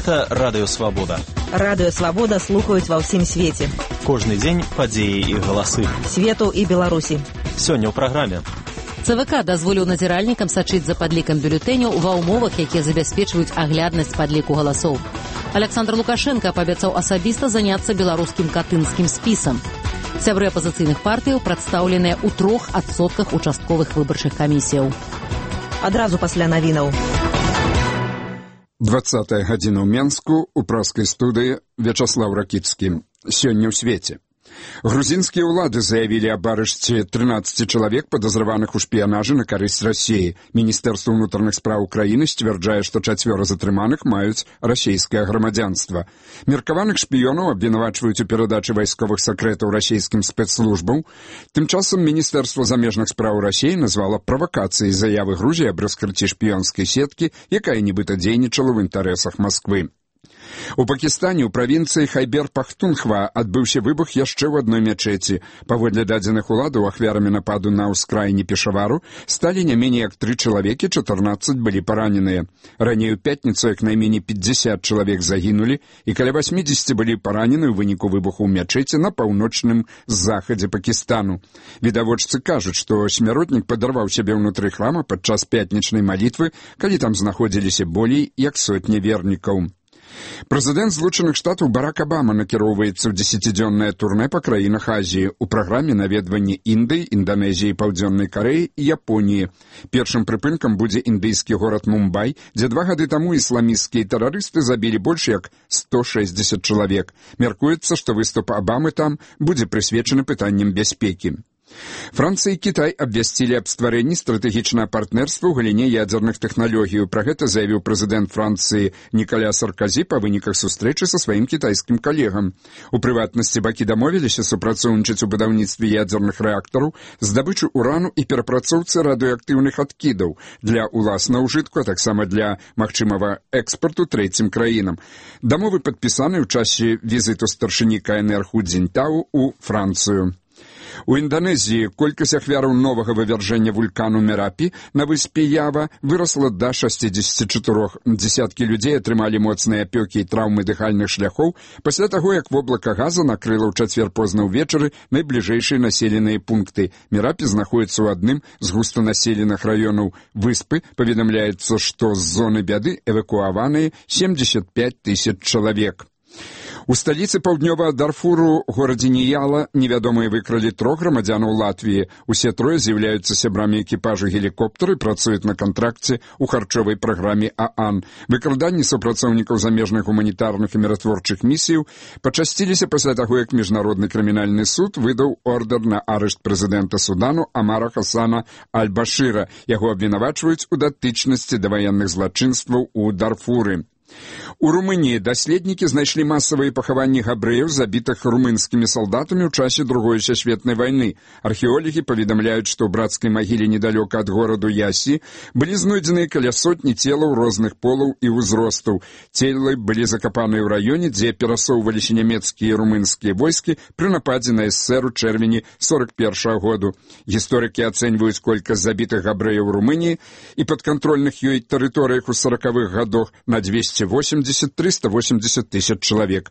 Гэта Радыё Свабода. Радыё Свабода слухаюць ва ўсім свеце. Кожны дзень падзеі і галасы. Свету і Беларусі. Сёння ў праграме. ЦВК дазволіў назіральнікам сачыць за падлікам бюлетэняў ва ўмовах, якія забяспечваюць агляднасць падліку галасоў. Александр Лукашенко паабяцаў асабіста заняцца беларускім катынскім спісам. Сябры апазіцыйных партыяў прадстаўленыя ў 3% участковых выбарчых камісіяў. Адразу пасля навінаў. 20 гадзіна ў Менску, у праскай студыі Вячаслаў Ракіцкі. Сёння ў свеце. Грузінскія ўлады заявілі аб арышце 13 чалавек, падазраваных у шпіянажы на карысць Расіі. Міністэрства ўнутраных спраў краіны сцвярджае, што 4 затрыманых маюць расійскае грамадзянства. Меркаваных шпіёнаў абвінавачваюць у перадачы вайсковых сакрэтаў расійскім спецслужбам. Тым часам Міністэрства замежных спраў Расіі назвала правакацыяй заявы Грузіі аб раскрыцці шпіёнскай сеткі, якая нібыта дзейнічала ў інтарэсах Масквы. У Пакістане ў правінцыі Хайбер-Пахтунхва адбыўся выбух яшчэ ў адной мячэці. Паводле дадзеных уладаў, ахвярамі нападу на ўскраіне Пешавару сталі не меней як 3 чалавекі, 14 былі параненыя. Раней у пятніцу як найменей 50 чалавек загінулі і каля 80 былі паранены ў выніку выбуху ў мячэці на паўночным захадзе Пакістану. Відавочцы кажуць, што смяротнік падарваў сябе ўнутры храма падчас пятнічнай малітвы, калі там знаходзіліся болей як сотня вернікаў. Прэзідэнт Злучаных Штатаў Барак Абама накіроўваецца ў 10-дзённае турнэ па краінах Азіі. У праграме наведванні Індыі, Інданезіі, Паўдзённай Карэі і Японіі. Першым прыпынкам будзе індыйскі горад Мумбай, дзе 2 гады таму ісламісцкія тэрарысты забілі больш як 160 чалавек. Мяркуецца, што выступ Абамы там будзе прысвечаны пытанням бяспекі. Францыя і Кітай абвясцілі аб стварэнні стратэгічнага партнерства ў галіне ядзерных тэхналогій. Пра гэта заявіў прэзідэнт Францыі Нікаля Сарказі па выніках сустрэчы са сваім кітайскім калегам. У прыватнасці бакі дамовіліся супрацоўнічаць у будаўніцтве ядзерных рэактараў, здабычы урану і перапрацоўцы радыеактыўных адкідаў для ўласнага ўжытку, а таксама для магчымага экспарту трэцім краінам. Дамовы падпісаны ў часе візіту старшыні КНР Ху Цзіньтау у Францыю. У Інданезіі колькасць ахвяраў новага вывяржэння вулкану Мерапі на выспе Ява вырасла да 64. Дзесяткі людзей атрымалі моцныя апёкі і траўмы дыхальных шляхоў пасля таго, як воблака газа накрыла ў чацвер позна ўвечары найбліжэйшыя населеныя пункты. Мерапі знаходіцца ў адным з густанаселеных раёнаў выспы. Паведамляецца, што з зоны бяды эвакуаваныя 75 000 чалавек. У сталіцы паўднёвага Дарфуру, горадзе Ніяла, невядомыя выкралі 3 грамадзянаў Латвіі. Усе 3 з'яўляюцца сябрамі экіпажу гелікоптера і працуюць на кантракце ў харчовай праграме ААН. Выкраданні супрацоўнікаў замежных гуманітарных і міратворчых місіяў пачасціліся пасля таго, як Міжнародны крымінальны суд выдаў ордэр на арышт прэзідэнта Судану Амара Хасана Аль-Башыра. Яго абвінавачваюць у датычнасці да ваенных злачынстваў у Дарфуры. У Румыніі даследнікі знайшлі масавыя пахаванні габрэяў, забітых румынскімі салдатамі ў часе Другой сусветнай вайны. Археолагі паведамляюць, што ў брацкай магіле недалёка ад гораду Ясі былі знойдзеныя каля сотні целаў розных полаў і ўзростаў. Целы былі закапаныя ў раёне, дзе перасоўваліся нямецкія і румынскія войскі пры нападзе на СССР у чэрвені 41 году. Гісторыкі ацэньваюць колькасць забітых габрэяў у Румыніі і падкантрольных ёй тэрыторыях у 40-х гадах на 280-380 000 чалавек.